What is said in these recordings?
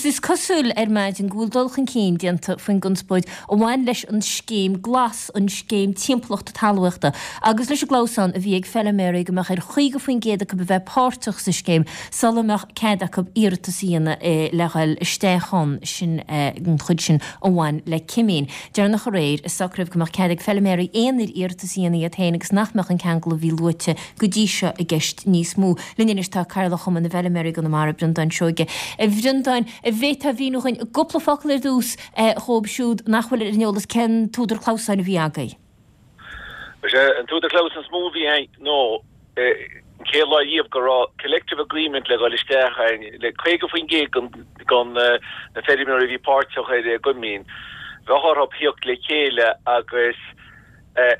is cosúil ar maidin go bhfuil dul chun cinn déanta faoin gconspóid a bhain leis an scéim glas, an scéim timpeallachta talmhaíochta, agus leis an gclamhsán a bhí ag feiliméaraí go mbeadh ar 50% acu a bheith páirteach sa scéim sula mbeadh cead acu iarratas a dhéanamh le dhul isteach ann, sin an chuid sin a bhain le cimín. Deireanach aréir, socraíodh go mbeadh cead ag feiliméaraí aonair iarratas a dhéanamh iad féin agus nach mbeadh an ceangal a bhí luaite go dtí seo i gceist níos mó. Linn anois tá Cathaoirleach Chumann na bhFeiliméaraí i gConamara, Breandán Seoige. A Bhreandáin, an bhféadfá a mhíniú dhuinn i gcúpla focal ar dtús dhóibh siúd nach bhfuil ar an eolas cén t-údar clamhsáin a bhí agaibh? Is é an t-údar clamhsáin is mó a bhí againn ná an chéad lá riamh go raibh collective agreement le dhul isteach againn le 50% den na feirmeoirí a bhí páirteach ar an gcoimín. Bheadh orthu thíocht le chéile agus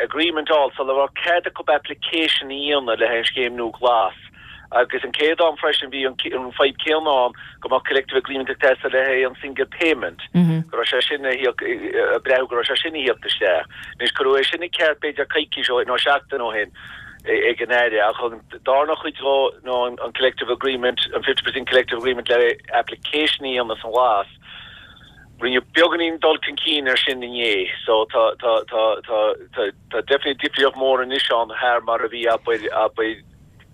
agreement a fháil sula raibh cead acu application a dhéanamh le haghaidh an scéim nua glas. Agus an chéad am freisin bhí an fadhb céanna ann go mbeadh collective agreement ag teastáil le haghaidh an single payment, go raibh sé sin a thíocht, ag breathnú go raibh sé sin a thíocht isteach. Anois cuireadh é sin i gceart b'fhéidir coicís ó shin nó seachtain ó shin ag an Aire ach an darna chuid dhó nó an collective agreement, an 50% collective agreement le application a dhéanamh san ghlas, rinneadh beagáinín dul chun cinn ar sin inné so tá, tá, tá, tá, tá, tá definitely difríocht mhór anois ann thar mar a bhí abair, abair,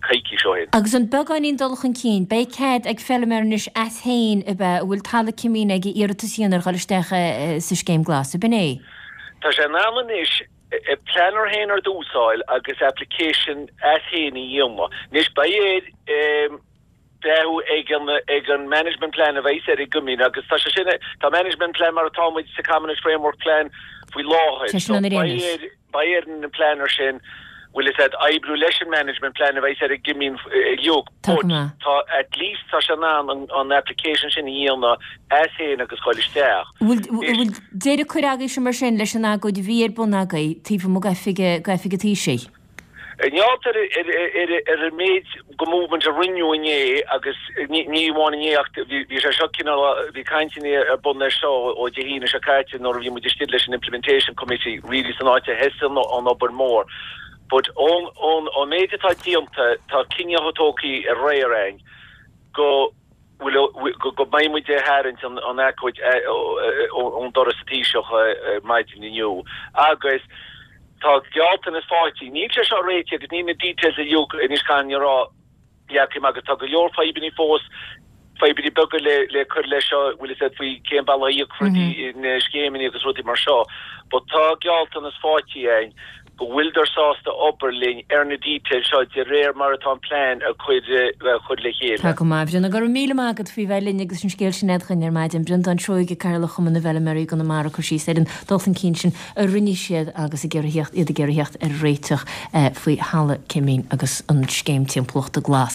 coicís ó shin. Agus an beagáinín dul chun cinn, beidh cead ag feiliméar anois as féin, ab ea, a bhfuil talamh cimín aige iarratas a dhéanamh ar dhul isteach sa scéim glas, ab in é? Tá sé in ann anois planner féin ar dtús a fháil agus application as féin a dhéanamh. Anois beidh air breathnú ag an ag an management plan a bheidh ar an gcoimín agus tá sé sin, tá management plan mar atá muid sa Commonage Framework Plan faoi láthair. Tá sin ann ar aon nós. Beidh ar an planner sin, bhfuil fhios a'd, oibriú leis an management plan a bheidh ar an gcoimín uilig Tá but go maith. tá at least tá sé in ann an an application sin a dhéanamh as féin agus dhul isteach. Bhfuil bhfuil deireadh curtha agaibhse mar sin leis an agóid a bhí ar bun agaibh taobh amuigh d'oifig d'oifig an Taoisigh? Neart ar ar an méid go movement a rinneadh inné agus ní amháin inné ach bhí sé seo cineál, bhí cainteanna ar bun air seo ó Dé hAoine seo caite nuair a bhí muid istigh leis an Implementation Committee really san áit a thosaigh an obair mór. But ón ón méid atá déanta tá cinneadh tógtha aréir againn go bhfuil go mbeidh muid ag tharraingt an agóid ón doras sa Taoiseach ar maidin inniu agus tá gealltanas faighte. Níl sé seo réitithe agus níl na details uilig anois caithfidh mé a rá leagtha amach agus tá go leor fadhbanna fós, fadhbanna beaga le cur leis seo, bhfuil fhios a'd faoi cén bealach a íocfar na scéimeanna agus rudaí mar seo but tá gealltanas faighte againn go bhfuileadar sásta obair linn ar na details seo de réir mar atá an plean á chur le chéile. Tá go maith, a Bhreandáin. Go raibh míle maith agat faoi bheith linn agus an scéal sin a fhad chugainn ar maidin. Breandán Seoige, Cathaoirleach Chumann na bhFeiliméaraí i gConamara ag cur síos ar an dul chun cinn sin a rinne siad agus ag iarraidh theacht, iad ag iarraidh theacht ar réiteach faoi thalamh cimín agus an scéim timpeallachta glas.